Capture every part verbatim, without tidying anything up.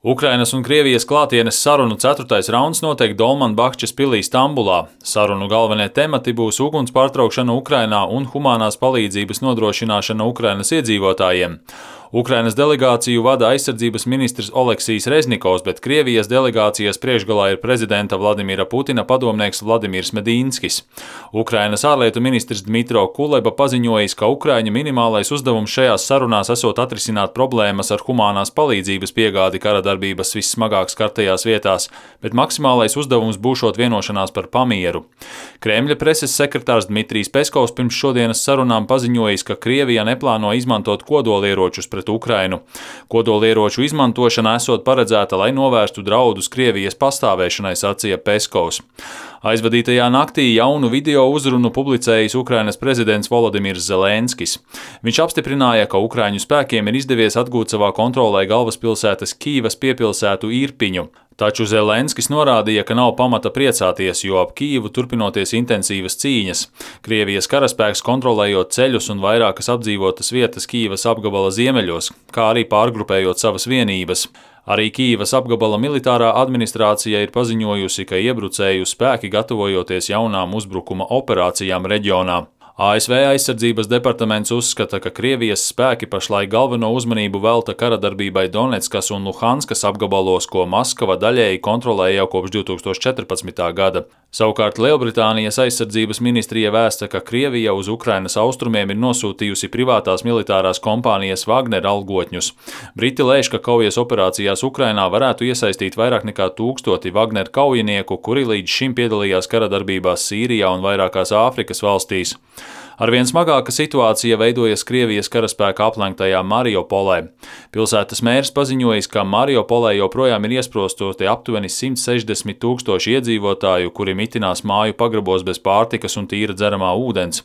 Ukrainas un Krievijas klātienes sarunu ceturtais rauns notiek Dolmanbahčas pilī Stambulā. Sarunu galvenie temati būs uguns pārtraukšana Ukrainā un humānās palīdzības nodrošināšana Ukrainas iedzīvotājiem. Ukrainas delegāciju vada aizsardzības ministrs Oleksijs Reznikovs, bet Krievijas delegācijas priekšgalā ir prezidenta Vladimira Putina padomnieks Vladimirs Medīnskis. Ukrainas ārlietu ministrs Dmitro Kuleba paziņojis, ka Ukraiņa minimālais uzdevums šajās sarunās esot atrisināt problēmas ar humānās palīdzības piegādi kara darbības vissmagāk skartajās vietās, bet maksimālais uzdevums būšot vienošanās par pamieru. Kremļa preses sekretārs Dmitrijs Peskovs pirms šodienas sarunām paziņojis, ka Krievija neplāno izmantot kodolieročus pret Ukrainu. Kodolieroču izmantošana esot paredzēta, lai novērstu draudus Krievijas pastāvēšanai, sacīja Peskovs. Aizvadītajā naktī jaunu video uzrunu publicējis Ukrainas prezidents Volodimirs Zelenskis. Viņš apstiprināja, ka Ukraiņu spēkiem ir izdevies atgūt savā kontrolē galvaspilsētas Kīivas piepilsētu Irpiņu. Taču Zelenskis norādīja, ka nav pamata priecāties, jo ap Kīivu turpinoties intensīvas cīņas. Krievijas karaspēks kontrolējot ceļus un vairākas apdzīvotas vietas Kīivas apgabala ziemeļos, kā arī pārgrupējot savas vienības. Arī Kīivas apgabala militārā administrācija ir paziņojusi, ka iebrucēju spēki gatavojoties jaunām uzbrukuma operācijām reģionā. A S V aizsardzības departaments uzskata, ka Krievijas spēki pašlaik galveno uzmanību velta karadarbībai Donetskas un Luhanskas apgabalos, ko Maskava daļēji kontrolē jau kopš divi tūkstoši četrpadsmitā gada. Savukārt Lielbritānijas aizsardzības ministrija vēsta, ka Krievija uz Ukrainas austrumiem ir nosūtījusi privātās militārās kompānijas Wagner algotņus. Briti lēš, ka kaujas operācijās Ukrainā varētu iesaistīt vairāk nekā tūkstoti Wagner kaujinieku, kuri līdz šim piedalījās karadarbībās Sīrijā un vairākās Āfrikas valstīs. Arvien smagāka situācija veidojas Krievijas karaspēka aplenktajā Mariupolē. Pilsētas mērs paziņojis, ka Mariupolē joprojām ir iesprostoti aptuveni simt sešdesmit tūkstoši iedzīvotāju, kuri mitinās māju pagrabos bez pārtikas un tīra dzeramā ūdens.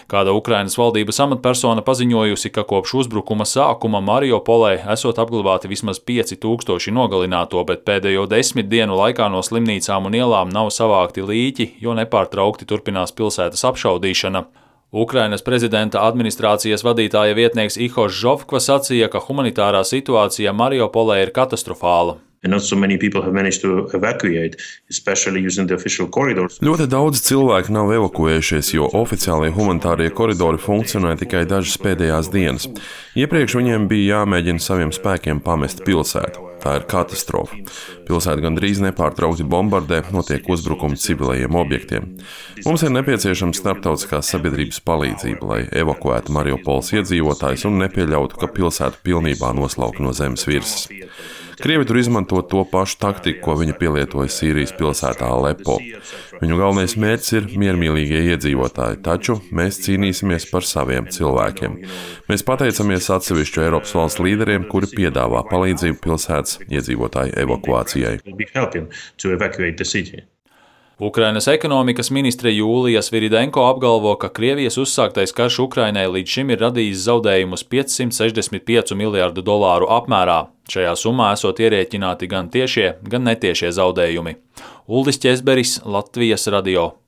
Kāda Ukrainas valdības amatpersona paziņojusi, ka kopš uzbrukuma sākuma Mariupolē esot apglabāti vismaz pieci tūkstoši nogalināto, bet pēdējo desmit dienu laikā no slimnīcām un ielām nav savākti līķi, jo nepārtraukti turpinās pilsētas apšaudīšana. Ukrainas prezidenta administrācijas vadītāja vietnieks Ihors Žofkva sacīja, ka humanitārā situācija Mariupolē ir katastrofāla. Ļoti daudz cilvēku nav evakuējušies, jo oficiālie humanitārie koridori funkcionē tikai dažas pēdējās dienas. Iepriekš viņiem bija jāmēģina saviem spēkiem pamest pilsētu. Tā ir katastrofa. Pilsēta gandrīz nepārtraukti bombardē, notiek uzbrukumi civilajiem objektiem. Mums ir nepieciešama starptautiskās sabiedrības palīdzība, lai evakuētu Mariupoles iedzīvotājus un nepieļautu, ka pilsētu pilnībā noslauka no zemes virsmas. Krievi tur izmanto to pašu taktiku, ko viņi pielietoja Sīrijas pilsētā Alepo. Viņu galvenais mērķis ir miermīlīgie iedzīvotāji, taču mēs cīnīsimies par saviem cilvēkiem. Mēs pateicamies atsevišķu Eiropas valsts līderiem, kuri piedāvā palīdzību pilsētas iedzīvotāju evakuācijai. Ukrainas ekonomikas ministre Jūlija Sviridenko apgalvo, ka Krievijas uzsāktais karš Ukrainai līdz šim ir radījis zaudējumus piecsimt sešdesmit pieci miljardu dolāru apmērā. Šajā summā esot ierēķināti gan tiešie, gan netiešie zaudējumi. Uldis Ķezberis, Latvijas radio.